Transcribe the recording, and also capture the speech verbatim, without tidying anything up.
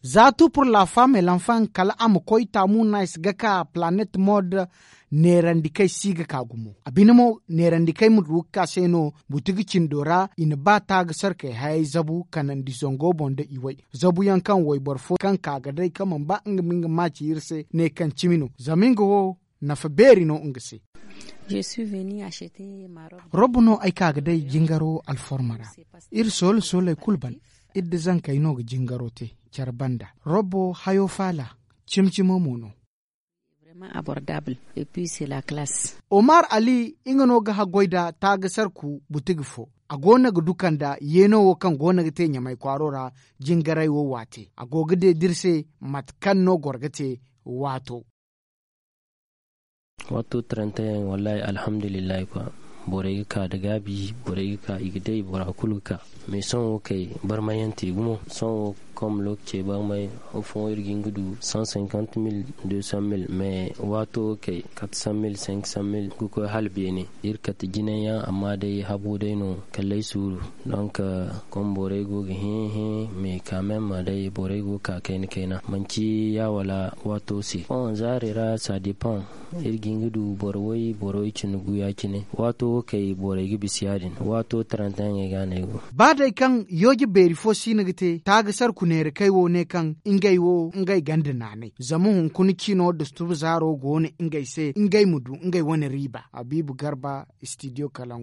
Za tu pur la femme et l'enfant kala a ma koy taamu nice ga ka planet mode. Neerandikey si ga ka gumo a bine mo neerandikey ma du ga ka se no. Butigi cindo ra i na ba taagasarkey hayey zabu kanandi zango boŋ nda i way zabu yaŋ kaŋ wayboro fo kaŋ ka ga day kaŋ mana ba nga ma nga maaci iri se ne kaŋ cimi no zama nga wo nafa beeri no nga se. Robbo no ay ka ga day jingaro alforma ra. Iri soole sooley kulu ban. Iri da zankey no ga jingaro te care banda. Robbo hayo faala cimi cimo mo no. Omar ali nga no ga haggoy nda taagasarku butigi fo. A go no ga du kanda yeeno wo kaŋ go no ga te ɲamay kwaaro ra. Jingaray wo waate a go ga deeda iri se mate kaŋ no goro ga te waato. Watto tarantayaŋ wallaahi alhamdulillahi kwa. Borey ga ka nda gaabi borey ga ka i ga day bora kulu ga ka. Mais sohõ wo kay barmayante gumo sohõ wo kom lookacey barmay. Afooyaŋ iri ga hin ga du cent cinquante mille deux cent mille mais waato wo kay quatre cent mille cinq cent mille ga koy hala beene. Iri kate jinay yaŋ amma day habo day no kala ay suuru. Donc kom borey go ga hẽ hẽ mais quand même day borey go ga ka kayna kayna manci ya wala waato se. Bon zaari ra ça dépend. Iri ga hin ga du boro way boro way cindi gu ya- cine. Waato wo kay borey ga bisa ya- din waato tarantayaŋey ga no ay go. Ba day kaŋ yooje beeri fo si no ga te taagasarku neerakey wo ne kaŋ ngey wo ngey ganda naanay zama hunkuna ciino dusturbu zaaro go no ngey se ngey ma du ngey wane riiba habiibu garba. Studio kalangu.